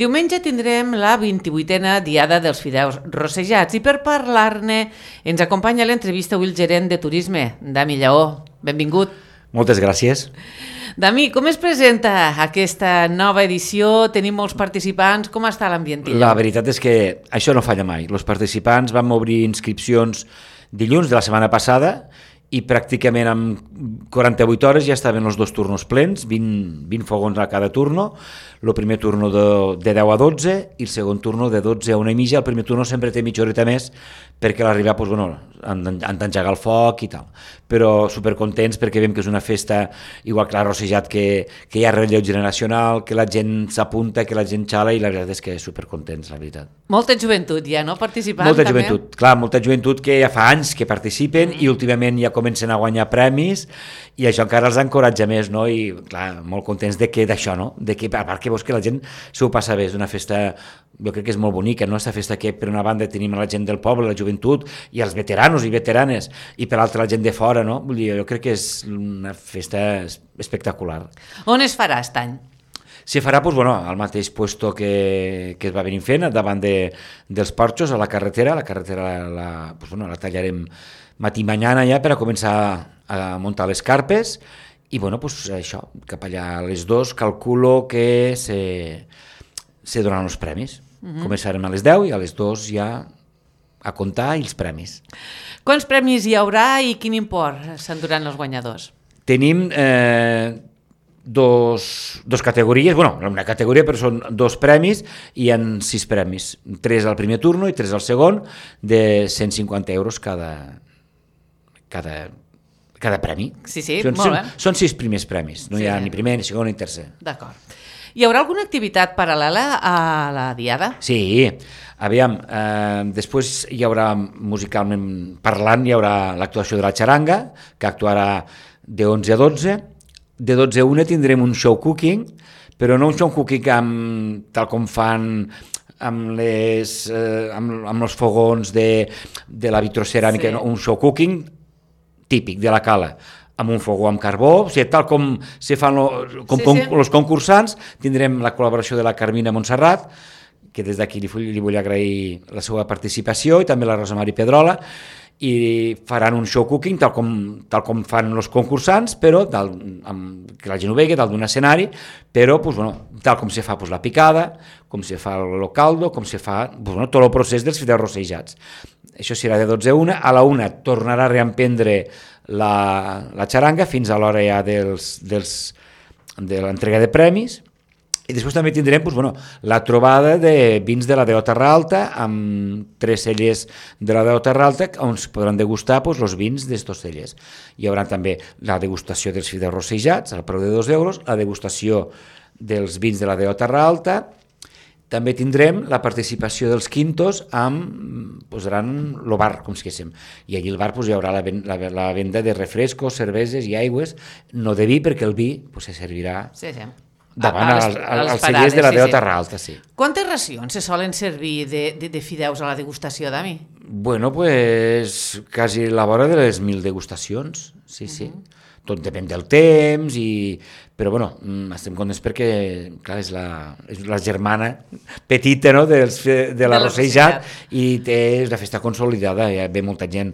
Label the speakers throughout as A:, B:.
A: Diumenge tindrem la 28a Diada dels Fideus Rossejats i per parlar-ne ens acompanya a l'entrevista avui el gerent de turisme, Dami Lleó. Benvingut.
B: Moltes gràcies.
A: Dami, com es presenta aquesta nova edició? Tenim molts participants. Com està l'ambient?
B: La veritat és que això no falla mai. Els participants vam obrir inscripcions dilluns de la setmana passada i pràcticament en 48 hores ja estaven els dos turnos plens, 20 fogons a cada turno, el primer turno de 10 a 12 i el segon turno de 12 a 1 i mitja. El primer turno sempre té mitja horeta més perquè a l'arribar han d'engegar el foc i tal, però supercontents perquè veiem que és una festa igual que l'ha rossejat, que hi ha relleu generacional, que la gent s'apunta, que la gent xala, i la veritat és que supercontents, la veritat.
A: Molta joventut ja, no? Participant
B: molta
A: també?
B: Joventut, clar, molta joventut que ja fa anys que participen i últimament ja comencen a guanyar premis i això encara els encoratja més, no? I clar, molt contents d'això, no? De que, a part que veus que la gent s'ho passa bé, és una festa, jo crec que és molt bonica, no? Aquesta festa que per una banda tenim la gent del poble, la joventut i els veteranos i veteranes, i per l'altra la gent de fora, no? Vull dir, jo crec que és una festa espectacular.
A: On es farà aquest any?
B: Se farà doncs, bueno, al mateix puesto que es va venir fent, davant dels porxos, a la carretera. La carretera la tallarem matí i mañana ja per a començar a muntar les carpes i bueno, pues, això, cap allà a les 2 calculo que se donaran els premis. Començarem a les 10 i a les 2 ja a comptar els premis.
A: Quants premis hi haurà i quin import s'enduran els guanyadors?
B: Tenim dos categories, bueno, una categoria però són 2 premis i hi ha 6 premis, 3 al primer turno i 3 al segon, de 150 euros cada premi.
A: Sí, molt bé.
B: Són 6 primers premis, no hi ha ni primer, ni segon, ni tercer.
A: D'acord. Hi haurà alguna activitat paral·lela a la Diada?
B: Sí, aviam, després hi haurà, musicalment parlant, hi haurà l'actuació de la xaranga, que actuarà de 11 a 12, de 12 a 1 tindrem un show cooking, però no un show cooking tal com fan amb els fogons de la vitroceràmica, no, un show cooking típic de la cala, amb un fogó amb carbó, o sigui, tal com se fan els concursants. Tindrem la col·laboració de la Carmina Montserrat, que des d'aquí li vull agrair la seva participació, i també la Rosa Mari Pedrola, i faran un show cooking tal com fan els concursants, però que la gent ho vegi dalt d'un escenari, però tal com se fa la picada, com se fa el caldo, com se fa tot el procés dels fideus rossejats. Això serà de 12 a 1, a la 1 tornarà a reemprendre la xaranga fins a l'hora ja de l'entrega de premis. I després també tindrem la trobada de vins de la Deo Terra Alta, amb 3 cellers de la Deo Terra Alta, on es podran degustar els vins d'estos cellers. Hi haurà també la degustació dels fideus rossejats, al preu de 2 euros, la degustació dels vins de la Deo Terra Alta. També tindrem la participació dels quintos posaran el bar, com si diguéssim. I allí al bar hi haurà la venda de refrescos, cerveses i aigües, no de vi, perquè el vi se servirà davant als cellers de la Deo Terra Alta.
A: Quantes racions se solen servir de fideus a la degustació, Dami?
B: Bueno, pues quasi la vora de les 1.000 degustacions, sí. Tot depèn del temps, però estem contents perquè clar, és la germana petita, no? de la rossejat, i és una festa consolidada, ve molta gent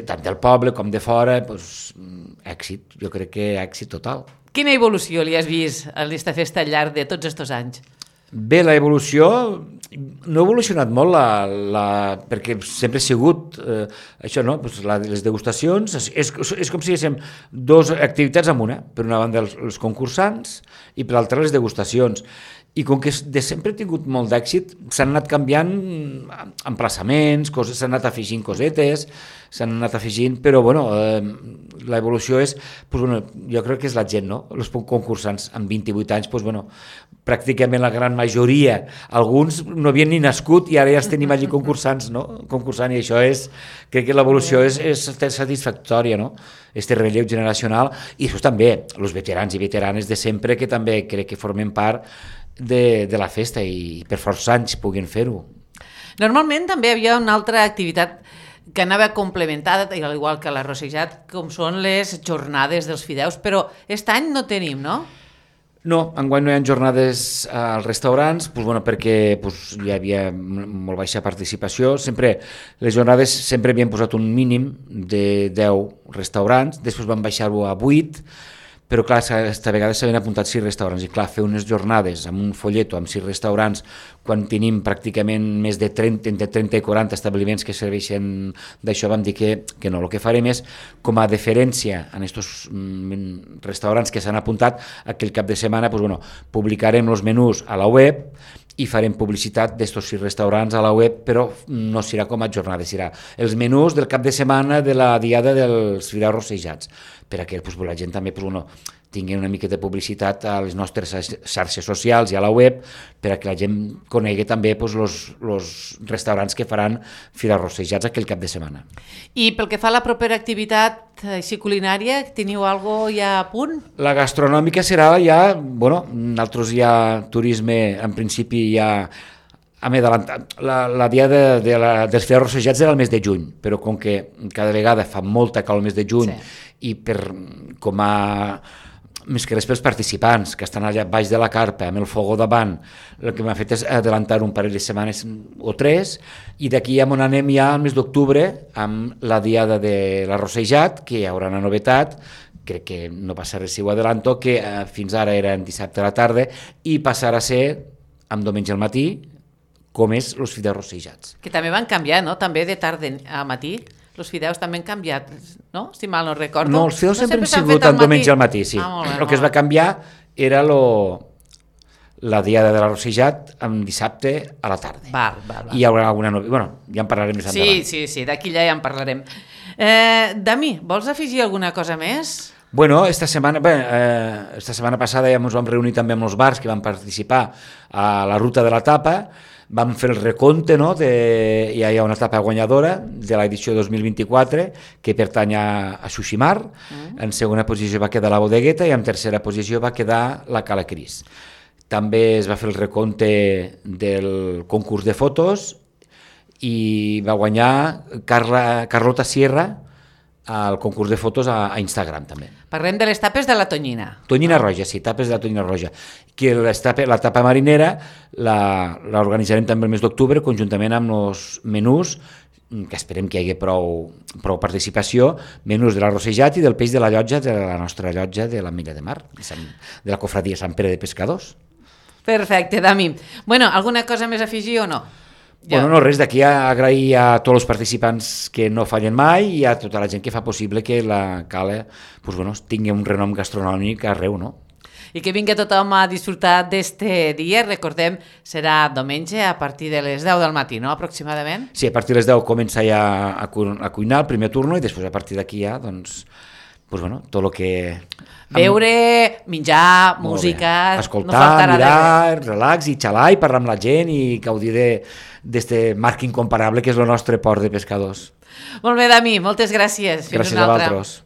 B: tant del poble com de fora, èxit, jo crec que èxit total.
A: Quina evolució li has vist a aquesta festa al llarg de tots aquests anys?
B: Bé, l'evolució no ha evolucionat molt perquè sempre ha sigut això, no? Les degustacions, és com si diguéssim 2 activitats en una, per una banda els concursants i per l'altra les degustacions. I com que de sempre ha tingut molt d'èxit, s'han anat canviant emplaçaments, s'han anat afegint cosetes, però l'evolució és, jo crec que és la gent, no? Els concursants amb 28 anys, pràcticament la gran majoria, alguns no havien ni nascut i ara ja els tenim allí concursants, no? Concursant, i això crec que l'evolució és satisfactòria, no? Este relleu generacional, i això també, els veterans i veteranes de sempre, que també crec que formen part de la festa i per força anys puguin fer-ho.
A: Normalment també hi havia una altra activitat que anava complementada, igual que la rossejat, com són les jornades dels fideus, però aquest any no tenim, no?
B: No, enguany no hi ha jornades als restaurants, perquè hi havia molt baixa participació. Sempre les jornades sempre havien posat un mínim de 10 restaurants, després van baixar-ho a 8, però clar, aquesta vegada s'havien apuntat 6 restaurants i clar, fer unes jornades amb un folleto amb 6 restaurants quan tenim pràcticament més de 30, entre 30 i 40 establiments que serveixen d'això, vam dir que no. El que farem és, com a deferència en aquests restaurants que s'han apuntat, aquell cap de setmana publicarem els menús a la web i farem publicitat d'estos 6 restaurants a la web, però no serà com a jornada, serà els menús del cap de setmana de la diada dels fideus rossejats, perquè la gent també tingui una mica de publicitat a les nostres xarxes socials i a la web, perquè la gent conegui també els restaurants que faran fideus rossejats aquell cap de setmana.
A: I pel que fa a la propera activitat així culinària, teniu alguna cosa ja a punt?
B: La gastronòmica serà ja, nosaltres ja turisme en principi ja hem adelantat. La diada dels fideus rossejats era el mes de juny, però com que cada vegada fa molta calor el mes de juny i com a més que res pels participants que estan allà baix de la carpa amb el fogó davant, el que m'ha fet és adelantar un parell de setmanes o 3 i d'aquí ja on anem ja al mes d'octubre amb la diada de l'arrossejat, que hi haurà una novetat, crec que no passa res si ho adelanto, que fins ara era en dissabte a la tarda i passarà a ser amb diumenge al matí, com és els fideus rossejats.
A: Que també van canviar, no? També de tarda a matí. Els fideus també han canviat, no? Si mal no recordo.
B: No, els fideus sempre han sigut en diumenge al matí, sí. El que es va canviar era la diada de l'arrossejat en dissabte a la tarda.
A: Val.
B: I hi haurà alguna ja en parlarem més endavant.
A: Sí, d'aquí ja en parlarem. Dami, vols afegir alguna cosa més?
B: Esta setmana passada ja ens vam reunir també amb els bars que van participar a la ruta de la tapa. Vam fer el recompte, ja hi ha una etapa guanyadora de l'edició 2024 que pertany a Xuximar, en segona posició va quedar la Bodegueta i en tercera posició va quedar la Cala Cris. També es va fer el recompte del concurs de fotos i va guanyar Carlota Sierra al concurs de fotos a Instagram també.
A: Parlem de les tapes de la Tonyina.
B: Tonyina Roja, sí, tapes de la Tonyina Roja. Que la tapa marinera l'organitzarem també el mes d'octubre conjuntament amb els menús, que esperem que hi hagi prou participació, menús de l'arrossejat i del peix de la llotja, de la nostra llotja de l'Ametlla de Mar, de la cofradia Sant Pere de Pescadors.
A: Perfecte, Dami. Alguna cosa més a afegir o no?
B: No, res, d'aquí a agrair a tots els participants que no fallen mai i a tota la gent que fa possible que la Cala tingui un renom gastronòmic arreu, no?
A: I que vingui tothom a disfrutar d'este dia. Recordem, serà diumenge a partir de les 10 del matí, no? Aproximadament?
B: Sí, a partir de les 10 comença ja a cuinar el primer turno i després a partir d'aquí ja, tot el que...
A: Veure, menjar, música...
B: Escoltar, mirar, relax i xalar i parlar amb la gent i gaudir d'este marc incomparable que és el nostre port de pescadors.
A: Molt bé, Dami, moltes gràcies.
B: Gràcies a vosaltres.